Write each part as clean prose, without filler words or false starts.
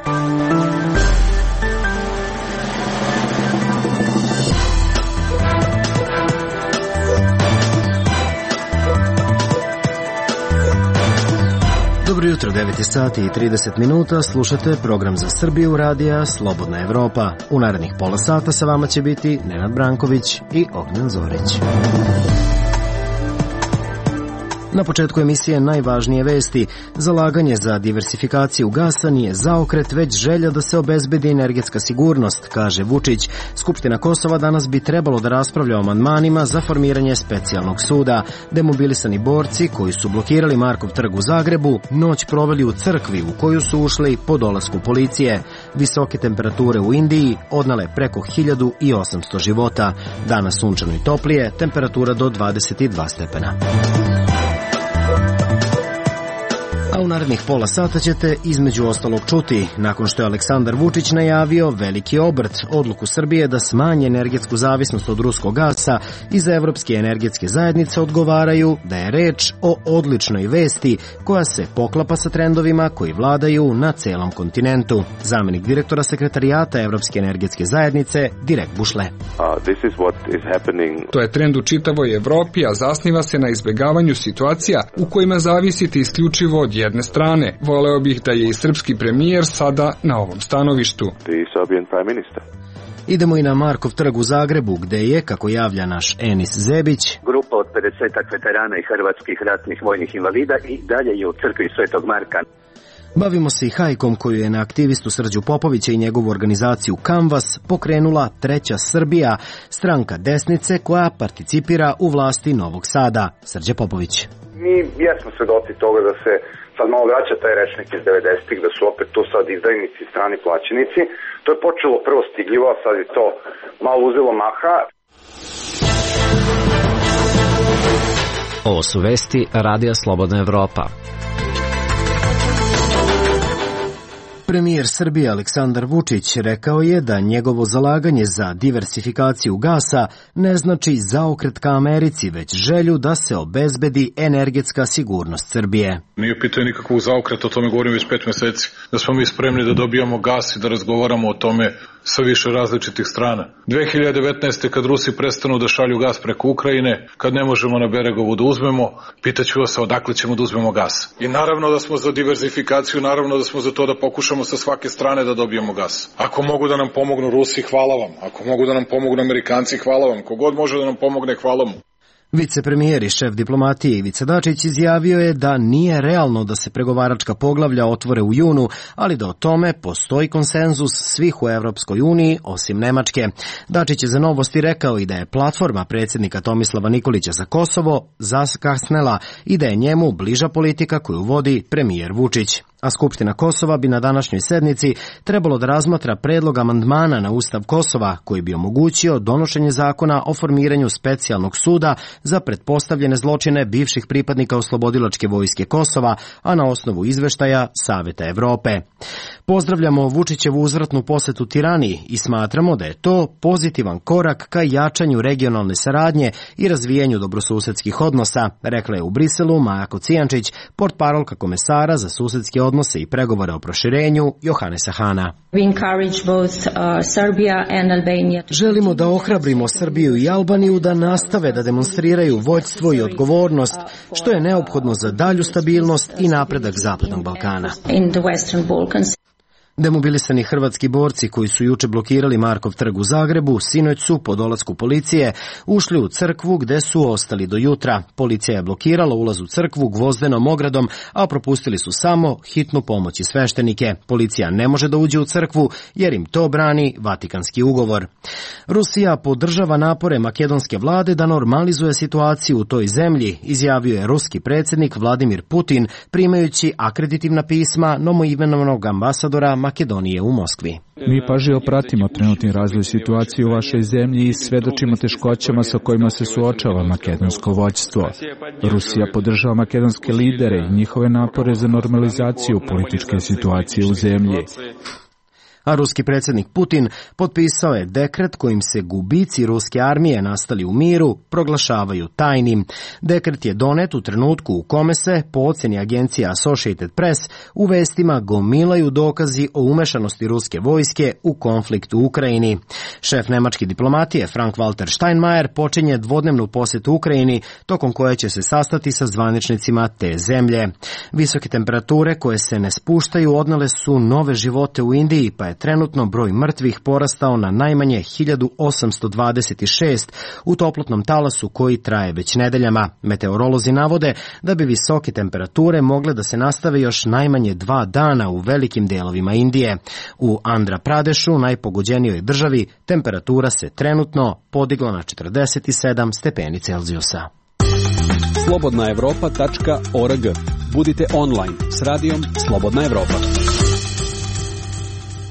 Dobro jutro, 9 sati i 30 minuta, slušate program za Srbiju radija Slobodna Evropa. U narednih pola sata sa vama će biti Nenad Branković i Ognjen Zorić. Na početku emisije najvažnije vesti. Zalaganje za diversifikaciju gasa nije zaokret, već želja da se obezbedi energetska sigurnost, kaže Vučić. Skupština Kosova danas bi trebalo da raspravlja o amandmanima za formiranje specijalnog suda. Demobilisani borci koji su blokirali Markov trg u Zagrebu noć proveli u crkvi u koju su ušli po dolasku policije. Visoke temperature u Indiji odnale preko 1800 života. Danas sunčano i toplije, temperatura do 22 stepena. A u narednih pola sata ćete između ostalog čuti, nakon što je Aleksandar Vučić najavio veliki obrt, odluku Srbije da smanje energetsku zavisnost od ruskog gasa, iz Evropske energetske zajednice odgovaraju da je reč o odličnoj vesti koja se poklapa sa trendovima koji vladaju na celom kontinentu. Zamenik direktora sekretarijata Evropske energetske zajednice, Direk Bušle. To je trend u čitavoj Evropi, a zasniva se na izbegavanju situacija u kojima zavisite isključivo od jedne strane. Voleo bih da je i srpski premijer sada na ovom stanovištu. Idemo i na Markov trg u Zagrebu, gde je, kako javlja naš Enis Zebić, grupa od 50 veterana i hrvatskih ratnih vojnih invalida i dalje je u crkvi Svetog Marka. Bavimo se i hajkom koju je na aktivistu Srđu Popovića i njegovu organizaciju Canvas pokrenula Treća Srbija, stranka desnice koja participira u vlasti Novog Sada. Srđe Popović. Mi jesmo svedoci toga da se sad malo vraća taj rečnik iz 90-ih, da su opet tu sad izdajnici, strani plaćenici. To je počelo prvo stigljivo, a sad je to malo uzelo maha. Ovo su vesti Radija Slobodna Evropa. Premijer Srbije Aleksandar Vučić rekao je da njegovo zalaganje za diversifikaciju gasa ne znači zaokret ka Americi, već želju da se obezbedi energetska sigurnost Srbije. Nije pitanje nikakvog zaokreta, o tome govorim već 5 meseci, da smo mi spremni da dobijamo gas i da razgovaramo o tome sa više različitih strana. 2019. kad Rusi prestanu da šalju gas preko Ukrajine, kad ne možemo na Beregovu da uzmemo, pitaću vas odakle ćemo da uzmemo gas. I naravno da smo za diversifikaciju, naravno da smo za to da pokušamo sa svake strane da dobijemo gas. Ako mogu da nam pomognu Rusi, hvala vam. Ako mogu da nam pomognu Amerikanci, hvala vam. Kogod može da nam pomogne, hvala mu. Vicepremijer i šef diplomatije Ivica Dačić izjavio je da nije realno da se pregovaračka poglavlja otvore u junu, ali da o tome postoji konsenzus svih u Evropskoj uniji, osim Nemačke. Dačić je za Novosti rekao i da je platforma predsjednika Tomislava Nikolića za Kosovo zakasnela i da je njemu bliža politika koju vodi premijer Vučić. A Skupština Kosova bi na današnjoj sednici trebalo da razmatra predlog amandmana na Ustav Kosova koji bi omogućio donošenje zakona o formiranju specijalnog suda za pretpostavljene zločine bivših pripadnika Oslobodilačke vojske Kosova, a na osnovu izveštaja Saveta Evrope. Pozdravljamo Vučićevu uzvratnu posetu Tirani i smatramo da je to pozitivan korak ka jačanju regionalne saradnje i razvijenju dobrosusedskih odnosa, rekla je u Briselu Maja Kocijančić, portparolka komesara za susedske odnose i pregovore o proširenju Johanesa Hana. Želimo da ohrabrimo Srbiju i Albaniju da nastave da demonstriraju vođstvo i odgovornost, što je neophodno za dalju stabilnost i napredak Zapadnog Balkana. Demobilisani hrvatski borci koji su juče blokirali Markov trg u Zagrebu, sinoć su po dolasku policije ušli u crkvu gde su ostali do jutra. Policija je blokirala ulaz u crkvu gvozdenom ogradom, a propustili su samo hitnu pomoć i sveštenike. Policija ne može da uđe u crkvu jer im to brani Vatikanski ugovor. Rusija podržava napore makedonske vlade da normalizuje situaciju u toj zemlji, izjavio je ruski predsjednik Vladimir Putin primajući akreditivna pisma novoimenovanog ambasadora Makedonije u Moskvi. Mi pažljivo pratimo trenutni razvoj situacije u vašoj zemlji i svedočimo teškoćama sa kojima se suočava makedonsko vođstvo. Rusija podržava makedonske lidere i njihove napore za normalizaciju političke situacije u zemlji. A ruski predsjednik Putin potpisao je dekret kojim se gubici ruske armije nastali u miru proglašavaju tajnim. Dekret je donet u trenutku u kome se, po ocjeni agencije Associated Press, u vestima gomilaju dokazi o umešanosti ruske vojske u konflikt u Ukrajini. Šef nemačke diplomatije Frank-Walter Steinmeier počinje dvodnevnu posjetu Ukrajini, tokom koje će se sastati sa zvaničnicima te zemlje. Visoke temperature koje se ne spuštaju odnele su nove živote u Indiji, pa je trenutno broj mrtvih porastao na najmanje 1826 u toplotnom talasu koji traje već nedeljama. Meteorolozi navode da bi visoke temperature mogle da se nastave još najmanje 2 dana u velikim delovima Indije. U Andhra Pradešu, najpogođenijoj državi, temperatura se trenutno podigla na 47 stepeni Celzijusa. Slobodnaevropa.org. Budite online s radijom Slobodna Evropa.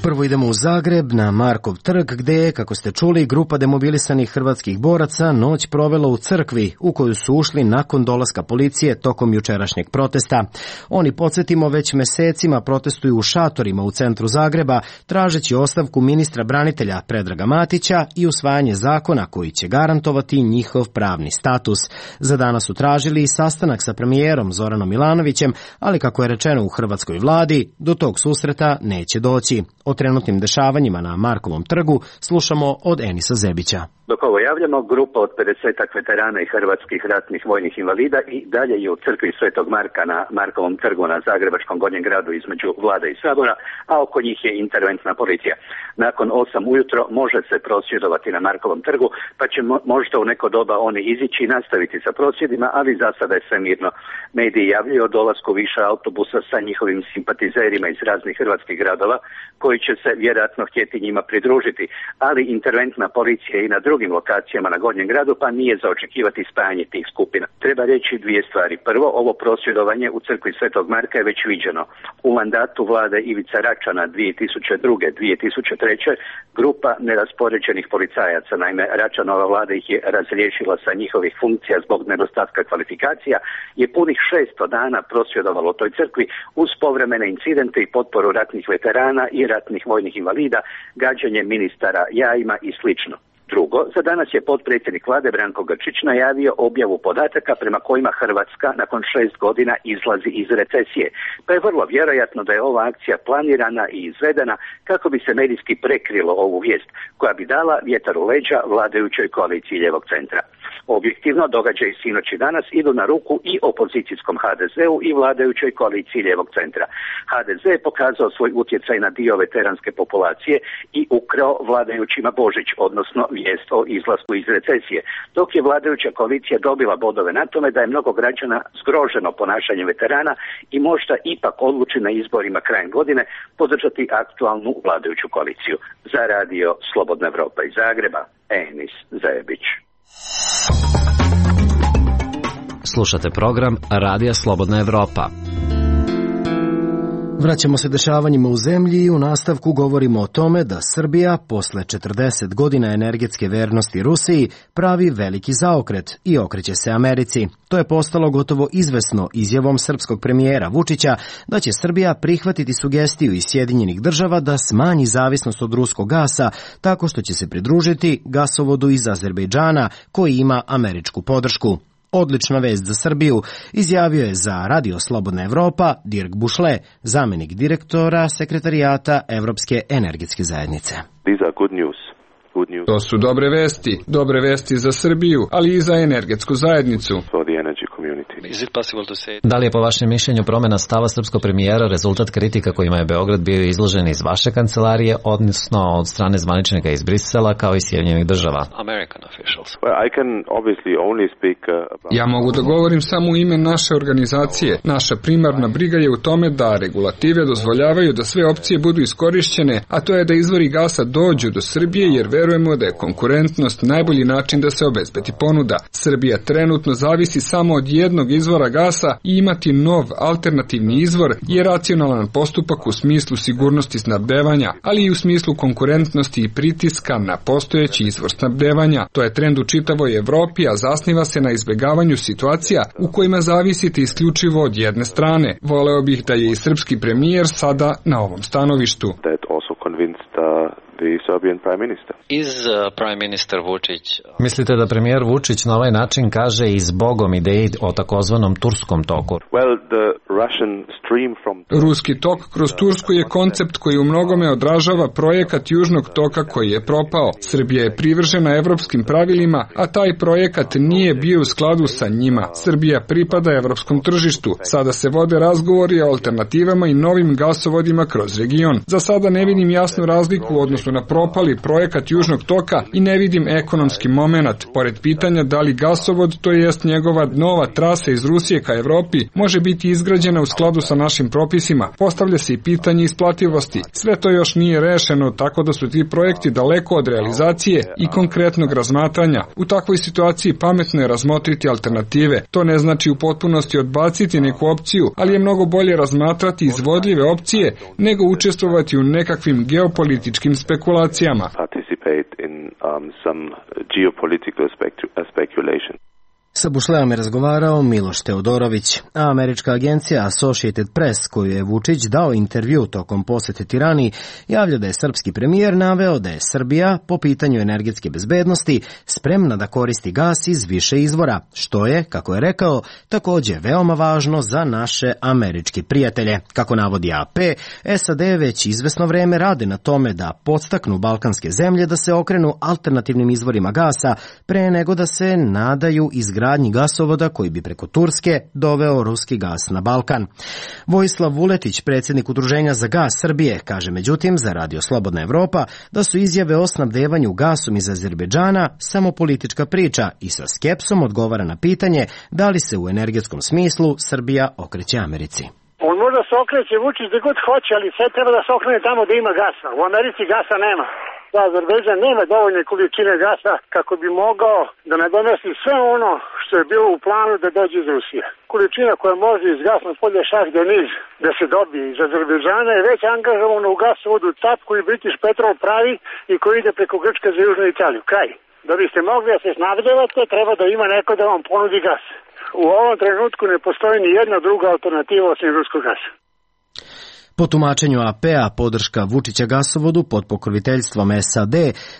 Prvo idemo u Zagreb, na Markov trg, gde je, kako ste čuli, grupa demobilisanih hrvatskih boraca noć provela u crkvi, u koju su ušli nakon dolaska policije tokom jučerašnjeg protesta. Oni, podsjetimo, već mesecima protestuju u šatorima u centru Zagreba, tražeći ostavku ministra branitelja Predraga Matića i usvajanje zakona koji će garantovati njihov pravni status. Za danas su tražili i sastanak sa premijerom Zoranom Milanovićem, ali kako je rečeno u hrvatskoj vladi, do tog susreta neće doći. O trenutnim dešavanjima na Markovom trgu slušamo od Enisa Zebića. Dok ovo javljamo, grupa od 50-ak veterana i hrvatskih ratnih vojnih invalida i dalje je u crkvi Svetog Marka na Markovom trgu na Zagrebačkom Gornjem gradu između Vlade i Sabora, a oko njih je interventna policija. Nakon 8 ujutro može se prosvjedovati na Markovom trgu, pa će možda u neko doba oni izići i nastaviti sa prosvjedima, ali za sada je sve mirno. Mediji javljaju o dolasku više autobusa sa njihovim simpatizerima iz raznih hrvatskih gradova, koji će se vjerojatno htjeti njima pridružiti, ali interventna policija i na drugim lokacijama na Gornjem gradu, pa nije za očekivati spajanje tih skupina. Treba reći 2 stvari. Prvo, ovo prosvjedovanje u crkvi Svetog Marka je već viđeno. U mandatu vlade Ivice Račana 2002-2003 grupa neraspoređenih policajaca, naime Račanova vlada ih je razriješila sa njihovih funkcija zbog nedostatka kvalifikacija, je punih 600 dana prosvjedovalo u toj crkvi uz povremene incidente i potporu ratnih veterana i ratnih vojnih invalida, gađanje ministara jajima i slično. Drugo, za danas je potpredsjednik vlade Branko Grčić najavio objavu podataka prema kojima Hrvatska nakon 6 godina izlazi iz recesije. Pa je vrlo vjerojatno da je ova akcija planirana i izvedena kako bi se medijski prekrilo ovu vijest, koja bi dala vjetar u leđa vladajućoj koaliciji lijevog centra. Objektivno, događaji sinoć i danas idu na ruku i opozicijskom HDZ-u i vladajućoj koaliciji lijevog centra. HDZ je pokazao svoj utjecaj na dio veteranske populacije i ukrao vladajućima Božić, odnosno vijest o izlasku iz recesije, dok je vladajuća koalicija dobila bodove na tome da je mnogo građana zgroženo ponašanjem veterana i možda ipak odluči na izborima krajem godine podržati aktualnu vladajuću koaliciju. Za radio Slobodna Evropa iz Zagreba, Enis Zebić. Slušate program Radija Slobodna Evropa. Vraćamo se dešavanjima u zemlji i u nastavku govorimo o tome da Srbija posle 40 godina energetske vernosti Rusiji pravi veliki zaokret i okreće se Americi. To je postalo gotovo izvesno izjavom srpskog premijera Vučića da će Srbija prihvatiti sugestiju iz Sjedinjenih Država da smanji zavisnost od ruskog gasa tako što će se pridružiti gasovodu iz Azerbejdžana koji ima američku podršku. Odlična vest za Srbiju, izjavio je za Radio Slobodna Evropa Dirk Bušle, zamenik direktora Sekretarijata Evropske energetske zajednice. These are good news. To su dobre vesti za Srbiju, ali i za energetsku zajednicu. Da li je po vašem mišljenju promjena stava srpskog premijera rezultat kritika kojima je Beograd bio izložen iz vaše kancelarije, odnosno od strane zvaničnika iz Brisela kao i Sjedinjenih Država? Ja mogu da govorim samo u ime naše organizacije. Naša primarna briga je u tome da regulative dozvoljavaju da sve opcije budu iskorišćene, a to je da izvori gasa dođu do Srbije, jer verujemo da je konkurentnost najbolji način da se obezbedi ponuda. Srbija trenutno zavisi samo od jednog izvora gasa i imati nov alternativni izvor je racionalan postupak u smislu sigurnosti snabdevanja, ali i u smislu konkurentnosti i pritiska na postojeći izvor snabdevanja. To je trend u čitavoj Evropi, a zasniva se na izbegavanju situacija u kojima zavisite isključivo od jedne strane. Voleo bih da je i srpski premijer sada na ovom stanovištu. Mislite da premijer Vučić na ovaj način kaže i zbogom ideji o takozvanom turskom toku? Ruski tok kroz Tursku je koncept koji u mnogome odražava projekat Južnog toka koji je propao. Srbija je privržena evropskim pravilima, a taj projekat nije bio u skladu sa njima. Srbija pripada evropskom tržištu. Sada se vode razgovori o alternativama i novim gasovodima kroz region. Za sada ne vidim jasnu razliku u odnosu na propali projekat Južnog toka i ne vidim ekonomski momenat. Pored pitanja da li gasovod, to jest njegova nova trasa iz Rusije ka Evropi, može biti izgrađena u skladu sa našim propisima. Postavlja se i pitanje isplativosti. Sve to još nije rešeno, tako da su ti projekti daleko od realizacije i konkretnog razmatranja. U takvoj situaciji pametno je razmotriti alternative. To ne znači u potpunosti odbaciti neku opciju, ali je mnogo bolje razmatrati izvodljive opcije nego učestvovati u nekakvim geopolitičkim spekulacijama. Sa Bušleom je razgovarao Miloš Teodorović, a američka agencija Associated Press, koju je Vučić dao intervju tokom posete Tirani, javlja da je srpski premijer naveo da je Srbija po pitanju energetske bezbednosti spremna da koristi gas iz više izvora, što je, kako je rekao, takođe veoma važno za naše američke prijatelje. Kako navodi AP, SAD već izvesno vreme rade na tome da podstaknu balkanske zemlje da se okrenu alternativnim izvorima gasa pre nego da se nadaju izgradnji gasovoda koji bi preko Turske doveo ruski gas na Balkan. Vojislav Vuletić, predsjednik Udruženja za gas Srbije, kaže međutim za Radio Slobodna Evropa da su izjave o snabdevanju gasom iz Azerbejdžana samo politička priča i sa skepsom odgovara na pitanje da li se u energetskom smislu Srbija okreće Americi. On možda se okreće Vučić da god hoće, ali sve treba da se okrene tamo da ima gasa. U Americi gasa nema. Azerbejdžan nema dovoljne količine gasa kako bi mogao da nadomesti sve ono što je bilo u planu da dođe iz Rusije. Količina koja može iz gasnog polja Šah-Deniz da se dobije iz Azerbejdžana je već angažovana u gasovodu TAP koji British Petrol pravi i koji ide preko Grčke za Južnu Italiju. Kraj. Da biste mogli da se snabdevate, treba da ima neko da vam ponudi gas. U ovom trenutku ne postoji ni jedna druga alternativa osim ruskog gasa. Po tumačenju AP-a, podrška Vučića gasovodu pod pokroviteljstvom SAD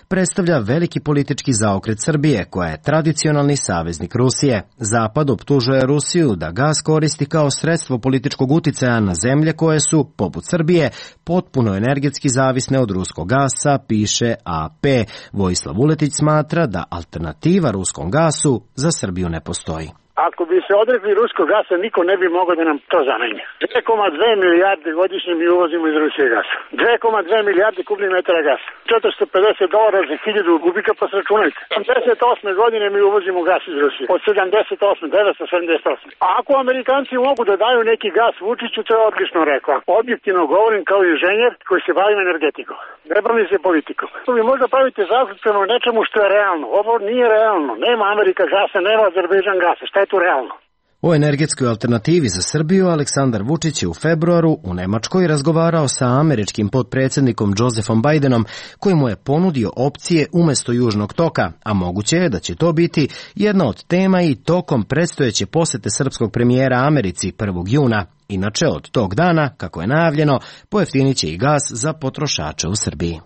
predstavlja veliki politički zaokret Srbije, koja je tradicionalni saveznik Rusije. Zapad optužuje Rusiju da gas koristi kao sredstvo političkog uticaja na zemlje koje su, poput Srbije, potpuno energetski zavisne od ruskog gasa, piše AP. Vojislav Vuletić smatra da alternativa ruskom gasu za Srbiju ne postoji. Ako bi se odrekli ruskog gasa, niko ne bi mogao da nam to zameni. 2,2 milijarde godišnje mi uvozimo iz Rusije gasa. 2,2 milijarde kubnih metara gasa. $450 za 1000 kubika, pa se računajte. 78. godine mi uvozimo gas iz Rusije. Od 78. 978. A ako Amerikanci mogu da daju neki gas Vučiću, to je odlično rekao. Objektivno govorim kao inženjer koji se bavim energetikom. Ne bavim se politikom. Vi možda pravite zaključeno nečemu što je realno. Ovo nije realno. Nema Amerika gasa, nema Azerbejdžan gasa. Šta je tu realno? O energetskoj alternativi za Srbiju Aleksandar Vučić je u februaru u Nemačkoj razgovarao sa američkim potpredsjednikom Josephom Bidenom, koji mu je ponudio opcije umesto Južnog toka, a moguće je da će to biti jedna od tema i tokom predstojeće posete srpskog premijera Americi 1. juna. Inače, od tog dana, kako je najavljeno, pojeftinit će i gas za potrošače u Srbiji.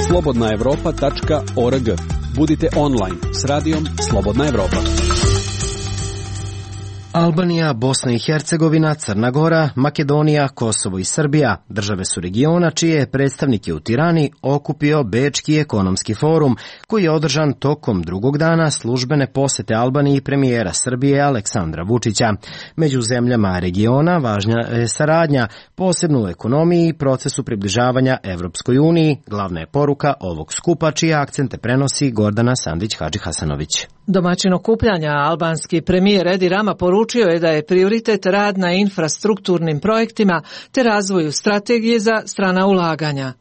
slobodnaevropa.org. Budite online s radijom Slobodna Evropa. Albanija, Bosna i Hercegovina, Crna Gora, Makedonija, Kosovo i Srbija države su regiona čije je predstavnike u Tirani okupio Bečki ekonomski forum, koji je održan tokom drugog dana službene posete Albaniji premijera Srbije Aleksandra Vučića. Među zemljama regiona važna je saradnja, posebno u ekonomiji i procesu približavanja Evropskoj uniji. Glavna je poruka ovog skupa čije akcente prenosi Gordana Sandić-Hadži-Hasanović. Domaćin okupljanja albanski premijer Edi Rama poručio je da je prioritet rad na infrastrukturnim projektima te razvoju strategije za strana ulaganja.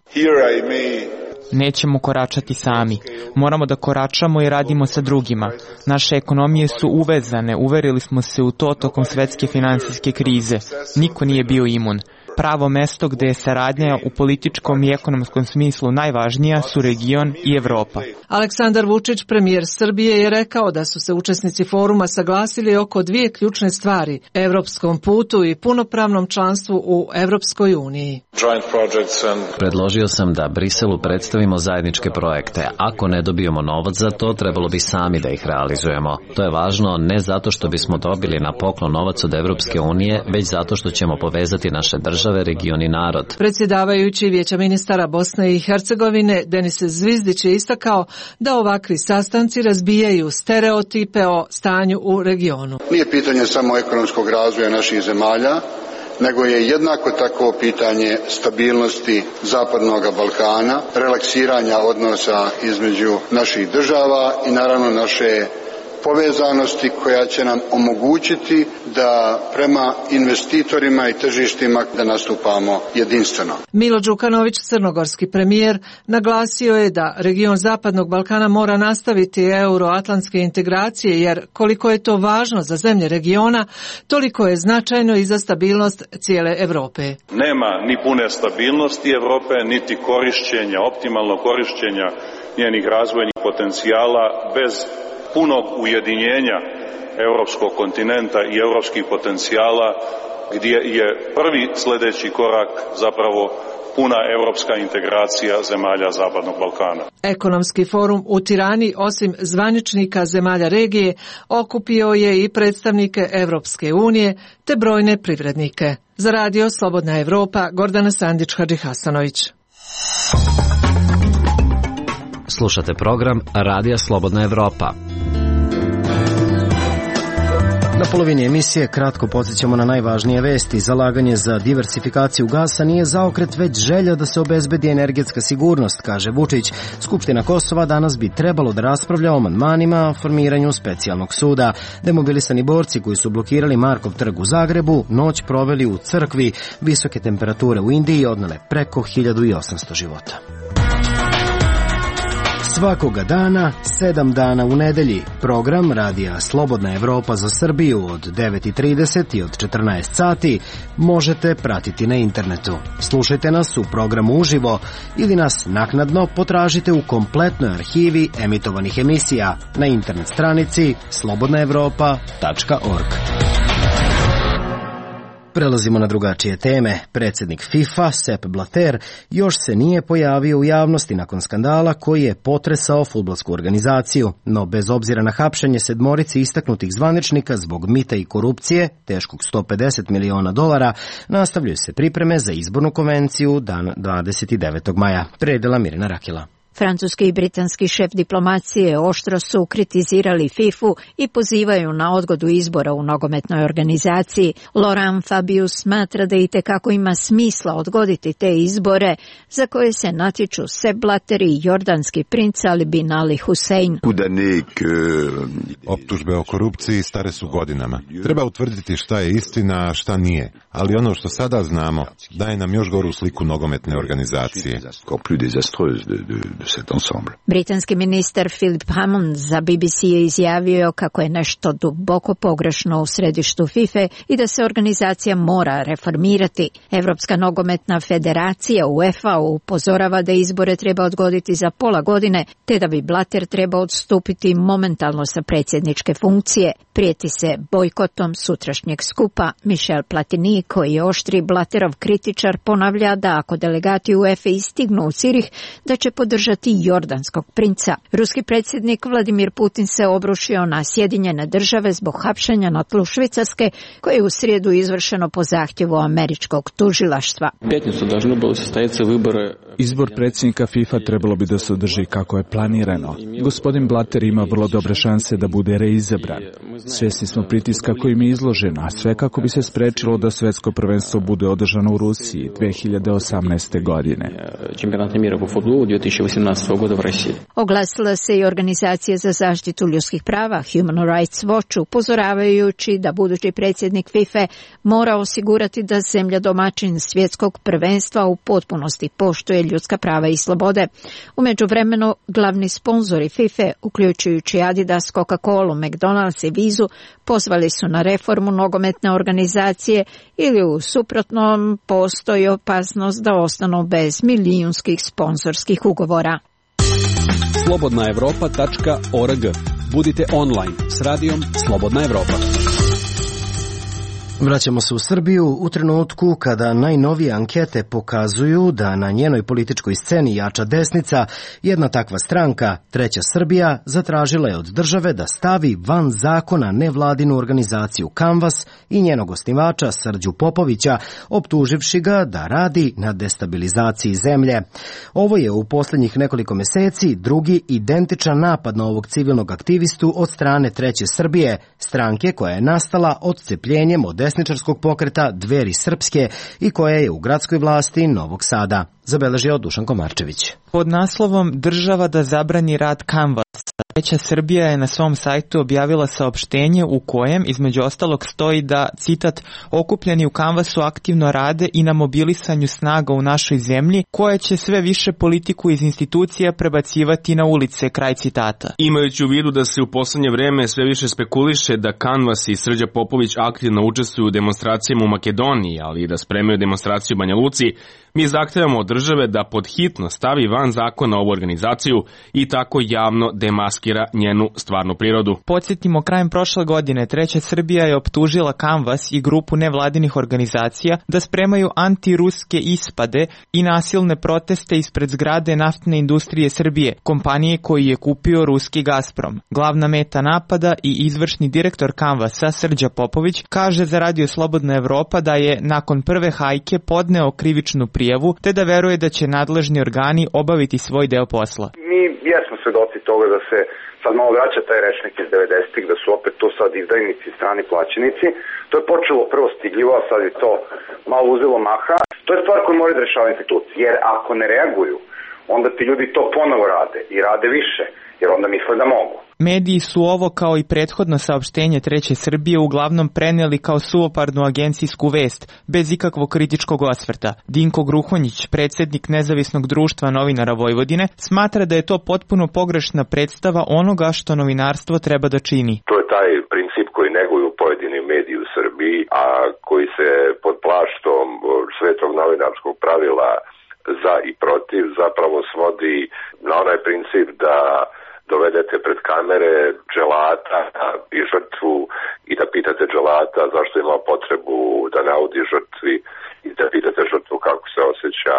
Nećemo koračati sami. Moramo da koračamo i radimo sa drugima. Naše ekonomije su uvezane, uverili smo se u to tokom svetske finansijske krize. Niko nije bio imun. Pravo mesto gde je saradnja u političkom i ekonomskom smislu najvažnija su region i Evropa. Aleksandar Vučić, premijer Srbije, je rekao da su se učesnici foruma saglasili oko dvije ključne stvari: evropskom putu i punopravnom članstvu u Evropskoj uniji. Predložio sam da Briselu predstavimo zajedničke projekte. Ako ne dobijemo novac za to, trebalo bi sami da ih realizujemo. To je važno ne zato što bismo dobili na poklon novac od Evropske unije, već zato što ćemo povezati naše države, region i narod. Predsjedavajući Vijeća ministara Bosne i Hercegovine Denis Zvizdić je istakao da ovakvi sastanci razbijaju stereotipe o stanju u regionu. Nije pitanje samo ekonomskog razvoja naših zemalja, nego je jednako tako pitanje stabilnosti Zapadnog Balkana, relaksiranja odnosa između naših država i naravno naše povezanosti koja će nam omogućiti da prema investitorima i tržištima da nastupamo jedinstveno. Milo Đukanović, crnogorski premijer, naglasio je da region Zapadnog Balkana mora nastaviti euroatlantske integracije, jer koliko je to važno za zemlje regiona, toliko je značajno i za stabilnost cijele Europe. Nema ni pune stabilnosti Europe, niti korišćenja, optimalno korišćenja njenih razvojnih potencijala bez punog ujedinjenja europskog kontinenta i europskih potencijala, gdje je prvi sljedeći korak zapravo puna europska integracija zemalja Zapadnog Balkana. Ekonomski forum u Tirani, osim zvaničnika zemalja regije, okupio je i predstavnike Evropske unije te brojne privrednike. Za radio Slobodna Evropa, Gordana Sandić-Hadži Hasanović. Slušate program Radija Slobodna Evropa. Na polovini emisije kratko podsjećamo na najvažnije vesti. Zalaganje za diversifikaciju gasa nije zaokret, već želja da se obezbedi energetska sigurnost, kaže Vučić. Skupština Kosova danas bi trebalo da raspravlja o amandmanima o formiranju specijalnog suda. Demobilisani borci koji su blokirali Markov trg u Zagrebu noć proveli u crkvi. Visoke temperature u Indiji odnele preko 1800 života. Svakoga dana, 7 dana u nedelji, program Radija Slobodna Evropa za Srbiju od 9:30 i od 14 sati možete pratiti na internetu. Slušajte nas u programu uživo ili nas naknadno potražite u kompletnoj arhivi emitovanih emisija na internet stranici slobodnaevropa.org. Prelazimo na drugačije teme. Predsjednik FIFA, Sepp Blatter, još se nije pojavio u javnosti nakon skandala koji je potresao fudbalsku organizaciju, no bez obzira na hapšenje sedmorici istaknutih zvaničnika zbog mita i korupcije, teškog $150 miliona, nastavljaju se pripreme za izbornu konvenciju dan 29. maja. Predela Mirina Rakila. Francuski i britanski šef diplomacije oštro su kritizirali FIFA-u i pozivaju na odgodu izbora u nogometnoj organizaciji. Laurent Fabius smatra da itekako ima smisla odgoditi te izbore za koje se natječu Sepp Blatter i jordanski princ Ali bin Ali Hussein. Optužbe o korupciji stare su godinama. Treba utvrditi šta je istina, a šta nije. Ali ono što sada znamo daje nam još goru sliku nogometne organizacije. Britanski ministar Philip Hammond za BBC je izjavio kako je nešto duboko pogrešno u središtu FIFA i da se organizacija mora reformirati. Evropska nogometna federacija UEFA upozorava da izbore treba odgoditi za pola godine, te da bi Blatter trebao odstupiti momentalno sa predsjedničke funkcije. Prijeti se bojkotom sutrašnjeg skupa. Michel Platini, koji je oštri Blatterov kritičar, ponavlja da ako delegati UEFA stignu u Cirih, da će podržati jordanskog princa. Ruski predsjednik Vladimir Putin se obrušio na Sjedinjene Države zbog hapšenja na tlu Švicarske, koje je u srijedu izvršeno po zahtjevu američkog tužilaštva. Izbor predsjednika FIFA trebalo bi da se održi kako je planirano. Gospodin Blatter ima vrlo dobre šanse da bude reizabran. Svjesni smo pritiska kojim je izložen, a sve kako bi se sprečilo da svjetsko prvenstvo bude održano u Rusiji 2018. godine. Oglasila se i organizacija za zaštitu ljudskih prava Human Rights Watch, upozoravajući da budući predsjednik FIFA mora osigurati da zemlja domaćin svjetskog prvenstva u potpunosti poštuje ljudska prava i slobode. U međuvremenu glavni sponzori FIFA, uključujući Adidas, Coca-Colu, McDonald's i Vizu, pozvali su na reformu nogometne organizacije ili u suprotnom postoji opasnost da ostanu bez milijunskih sponzorskih ugovora. slobodnaevropa.org. Budite online s radijom Slobodna Evropa. Vraćamo se u Srbiju u trenutku kada najnovije ankete pokazuju da na njenoj političkoj sceni jača desnica. Jedna takva stranka, Treća Srbija, zatražila je od države da stavi van zakona nevladinu organizaciju Kanvas i njenog osnivača Srđu Popovića, optuživši ga da radi na destabilizaciji zemlje. Ovo je u posljednjih nekoliko meseci drugi identičan napad na ovog civilnog aktivistu od strane Treće Srbije, stranke koja je nastala odcepljenjem od desničarskog pokreta Dveri srpske i koja je u gradskoj vlasti Novog Sada, zabeležio Dušan Komarčević. Pod naslovom Država da zabrani rad Kanvasa, Treća Srbija je na svom sajtu objavila saopštenje u kojem, između ostalog, stoji da, citat, okupljeni u Kanvasu aktivno rade i na mobilisanju snaga u našoj zemlji, koja će sve više politiku iz institucija prebacivati na ulice, kraj citata. Imajući u vidu da se u poslednje vreme sve više spekuliše da Kanvas i Srđa Popović aktivno učestvuju u demonstracijama u Makedoniji, ali i da spremaju demonstraciju u Banja Luci, mi zahtevamo od države da pod hitno stavi van zakona ovu organizaciju i tako javno demaskira njenu stvarnu prirodu. Podsjetimo, krajem prošle godine Treća Srbija je optužila Kanvas i grupu nevladinih organizacija da spremaju antiruske ispade i nasilne proteste ispred zgrade Naftne industrije Srbije, kompanije koju je kupio ruski Gazprom. Glavna meta napada i izvršni direktor Kanvasa Srđa Popović kaže za Radio Slobodna Evropa da je nakon prve hajke podneo krivičnu prijavu te da veruje da će nadležni organi obaviti svoj deo posla. Mi jesmo svedoci toga da se sad malo vraća taj rečnik iz 90-ih, da su opet to sad izdajnici, strani plaćenici. To je počelo prvo stidljivo, a sad je to malo uzelo maha. To je stvar koju moraju da rešava institucije, jer ako ne reaguju, onda ti ljudi to ponovo rade i rade više, jer onda misle da mogu. Mediji su ovo, kao i prethodno saopštenje Treće Srbije, uglavnom preneli kao suvoparnu agencijsku vest, bez ikakvog kritičkog osvrta. Dinko Gruhonjić, predsjednik Nezavisnog društva novinara Vojvodine, smatra da je to potpuno pogrešna predstava onoga što novinarstvo treba da čini. To je taj princip koji neguju pojedini mediji u Srbiji, a koji se pod plaštom svetog novinarskog pravila za i protiv zapravo svodi na onaj princip da dovedete pred kamere dželata i žrtvu i da pitate dželata zašto ima potrebu da naudi žrtvi i da pitate žrtvu kako se osjeća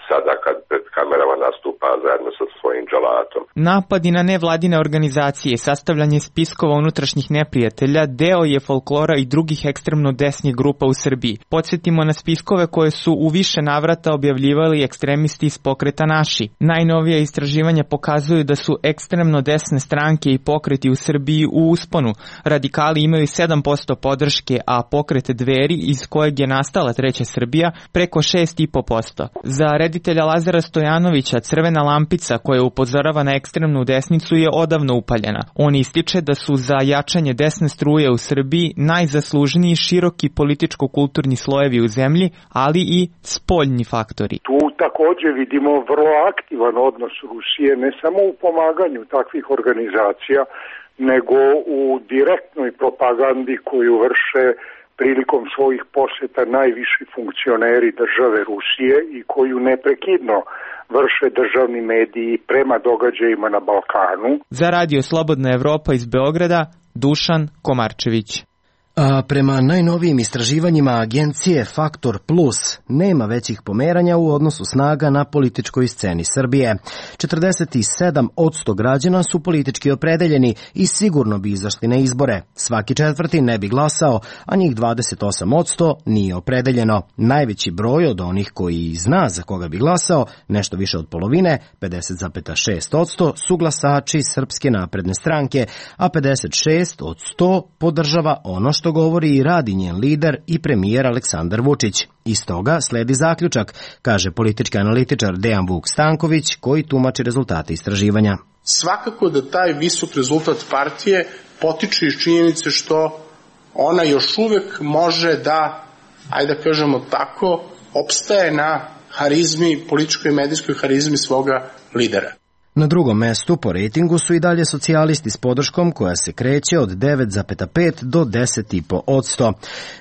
sada kad pred kamerama nastupa zajedno sa svojim dželatom. Napadi na nevladine organizacije, sastavljanje spiskova unutrašnjih neprijatelja, deo je folklora i drugih ekstremno desnih grupa u Srbiji. Podsjetimo na spiskove koje su u više navrata objavljivali ekstremisti iz pokreta Naši. Najnovija istraživanja pokazuju da su ekstremno desne stranke i pokreti u Srbiji u usponu. Radikali imaju 7% podrške, a pokret Dveri, iz kojeg je nastala Treća Srbija, preko 6,5%. Za reditelja Lazara Stojanovića crvena lampica koja upozorava na ekstremnu desnicu je odavno upaljena. On ističe da su za jačanje desne struje u Srbiji najzaslužniji široki političko-kulturni slojevi u zemlji, ali i spoljni faktori. Tu također vidimo vrlo aktivan odnos Rusije, ne samo u pomaganju takvih organizacija, nego u direktnoj propagandi koju vrše prilikom svojih posjeta najviši funkcioneri države Rusije i koju neprekidno vrše državni mediji prema događajima na Balkanu. Za Radio Slobodna Evropa iz Beograda, Dušan Komarčević. A prema najnovijim istraživanjima agencije Faktor Plus nema većih pomeranja u odnosu snaga na političkoj sceni Srbije. 47% građana su politički opredeljeni i sigurno bi izašli na izbore. Svaki četvrti ne bi glasao, a njih 28% nije opredeljeno. Najveći broj od onih koji zna za koga bi glasao, nešto više od polovine, 50,6% su glasači Srpske napredne stranke, a 56 od 100 podržava ono što govori i radi njen lider i premijer Aleksandar Vučić. Iz toga sledi zaključak, kaže politički analitičar Dejan Vuk Stanković, koji tumači rezultate istraživanja. Svakako da taj visok rezultat partije potiče iz činjenice što ona još uvek može da, ajde da kažemo tako, opstaje na harizmi, političkoj i medijskoj harizmi svoga lidera. Na drugom mestu po rejtingu su i dalje socijalisti s podrškom koja se kreće od 9,5 do 10,5%.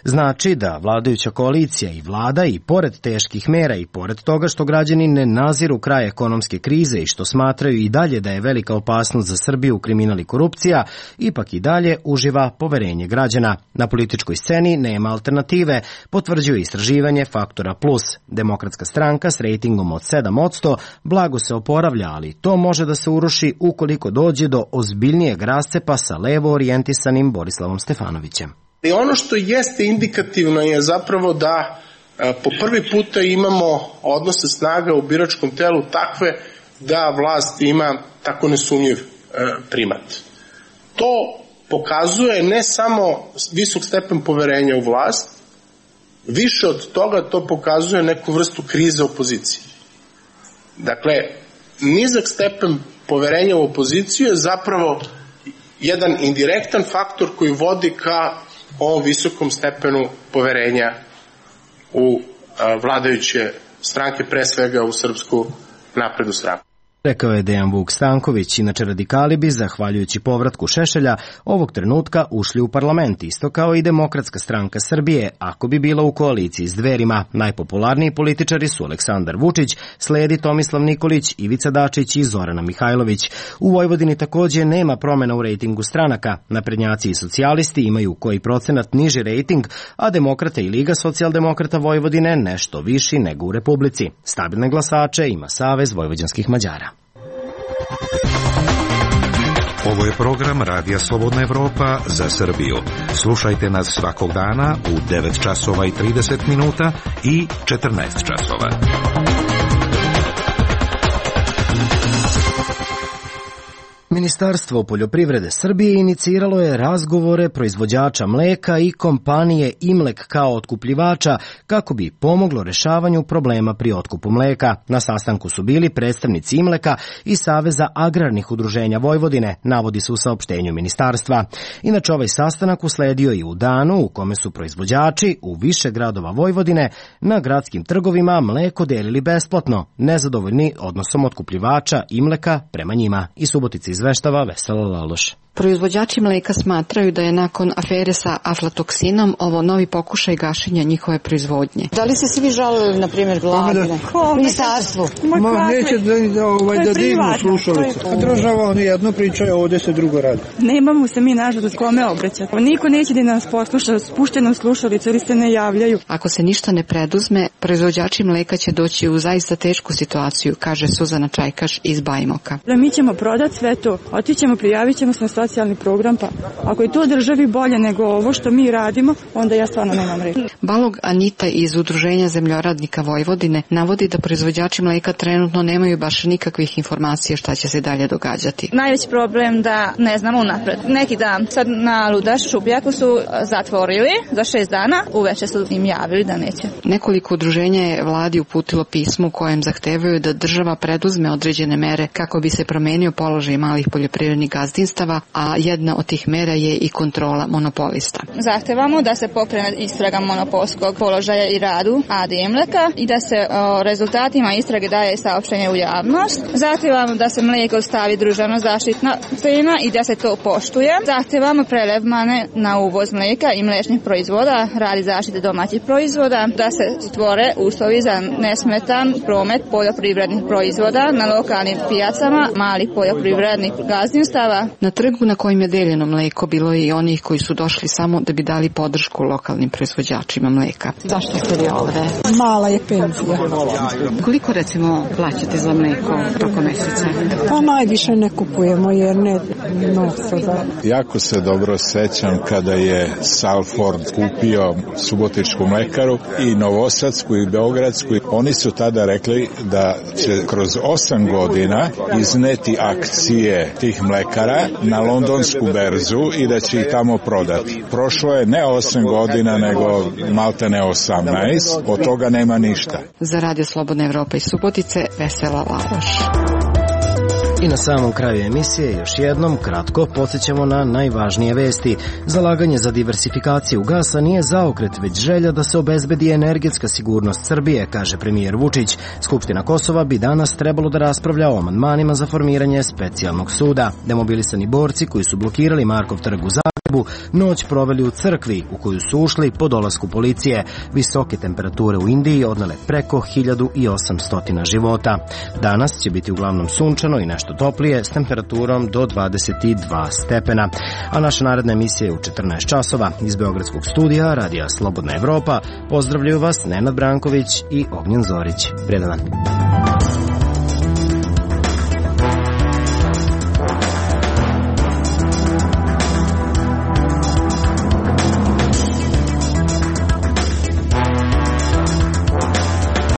Znači da vladajuća koalicija i vlada i pored teških mera i pored toga što građani ne naziru kraj ekonomske krize i što smatraju i dalje da je velika opasnost za Srbiju kriminal i korupcija, ipak i dalje uživa poverenje građana. Na političkoj sceni nema alternative, potvrđuje istraživanje Faktora Plus. Demokratska stranka s rejtingom od 7% blago se oporavlja, ali to može da se uruši ukoliko dođe do ozbiljnijeg rascepa sa levo orijentisanim Borislavom Stefanovićem. I ono što jeste indikativno je zapravo da po prvi puta imamo odnose snaga u biračkom telu takve da vlast ima tako nesumnjiv primat. To pokazuje ne samo visok stepen poverenja u vlast, više od toga to pokazuje neku vrstu krize opozicije. Dakle, nizak stepen poverenja u opoziciju je zapravo jedan indirektan faktor koji vodi ka ovom visokom stepenu poverenja u vladajuće stranke, pre svega u Srpsku naprednu stranku. Rekao je Dejan Vuk Stanković, inače radikali bi, zahvaljujući povratku Šešelja, ovog trenutka ušli u parlament, isto kao i Demokratska stranka Srbije, ako bi bila u koaliciji s Dverima. Najpopularniji političari su Aleksandar Vučić, sledi Tomislav Nikolić, Ivica Dačić i Zorana Mihajlović. U Vojvodini takođe nema promena u rejtingu stranaka. Naprednjaci i socijalisti imaju koji procenat niži rejting, a Demokrate i Liga socijaldemokrata Vojvodine nešto viši nego u Republici. Stabilne glasače ima Savez vojvođanskih Mađara. Ovo je program Radija Slobodna Evropa za Srbiju. Slušajte nas svakog dana u 9 časova i 30 minuta i 14 časova. Ministarstvo poljoprivrede Srbije iniciralo je razgovore proizvođača mleka i kompanije Imlek kao otkupljivača kako bi pomoglo rešavanju problema pri otkupu mleka. Na sastanku su bili predstavnici Imleka i Saveza agrarnih udruženja Vojvodine, navodi se u saopštenju ministarstva. Inače, ovaj sastanak usledio i u danu u kome su proizvođači u više gradova Vojvodine na gradskim trgovima mleko delili besplatno, nezadovoljni odnosom otkupljivača Imleka prema njima. I Subotica izveštava Vesela Laloš. Proizvođači mleka smatraju da je nakon afere sa aflatoksinom ovo novi pokušaj gašenja njihove proizvodnje. Da li ste se vi žalili, na primjer, vladi? Ministarstvu? Neće da divno slušalice. Država oni jedno pričaju, ovdje se drugo radi. Nemamo se mi nažalost kome obraćati. Niko neće da nas posluša, spušteno slušalice ili se ne javljaju. Ako se ništa ne preduzme, proizvođači mleka će doći u zaista tešku situaciju, kaže Suzana Čajkaš iz Bajmoka. Mi ćemo prodati sve to, otićemo, prijavit ćemo se na socijalni program, pa ako je to državi bolje nego ovo što mi radimo, onda ja stvarno nemam reći. Balog Anita iz Udruženja zemljoradnika Vojvodine navodi da proizvođači mleka trenutno nemaju baš nikakvih informacija šta će se dalje događati. Najveći problem da ne znamo unapred. Neki dan sad na Ludaš Šupljaku su zatvorili za 6 dana, uveče su im javili da neće. Nekoliko udruženja je vladi uputilo pismo u kojem zahtevaju da država preduzme određene mere kako bi se promenio položaj malih poljoprivrednih gazdinstava, a jedna od tih mera je i kontrola monopolista. Zahtevamo da se pokrene istraga monopolskog položaja i radu AD Imleka i da se o rezultatima istrage daje saopštenje u javnost. Zahtevamo da se mlijeko stavi državno zaštitna cena i da se to poštuje. Zahtevamo prelevmane na uvoz mlijeka i mliječnih proizvoda radi zaštite domaćih proizvoda, da se stvore uslovi za nesmetan promet poljoprivrednih proizvoda na lokalnim pijacama malih poljoprivrednih gazdinstava. Na trgu na kojim je deljeno mleko bilo je i onih koji su došli samo da bi dali podršku lokalnim proizvođačima mleka. Zašto ste vi ovde? Mala je penzija. Koliko recimo plaćate za mleko tokom meseca? Pa najviše ne kupujemo jer ne novca da. Jako se dobro sećam kada je Salford kupio Subotičku mlekaru i Novosadsku i Beogradsku. Oni su tada rekli da će kroz 8 godina izneti akcije tih mlekara na londonsku berzu i da će ih tamo prodati. Prošlo je ne 8 godina, nego malte ne 18. Od toga nema ništa. Za Radio Slobodna Evropa iz Subotice, Vesela Laloš. I na samom kraju emisije još jednom kratko podsjećamo na najvažnije vesti. Zalaganje za diversifikaciju gasa nije zaokret, već želja da se obezbedi energetska sigurnost Srbije, kaže premijer Vučić. Skupština Kosova bi danas trebalo da raspravlja o amandmanima za formiranje specijalnog suda. Demobilisani borci koji su blokirali Markov trg u Zagrebu noć proveli u crkvi u koju su ušli po dolasku policije. Visoke temperature u Indiji odnele preko 1800 života. Danas će biti uglavnom sunčano i nešto toplije s temperaturom do 22 stepena. A naša naredna emisija je u 14 časova. Iz Beogradskog studija Radija Slobodna Evropa pozdravljaju vas Nenad Branković i Ognjen Zorić. Prijedan dan.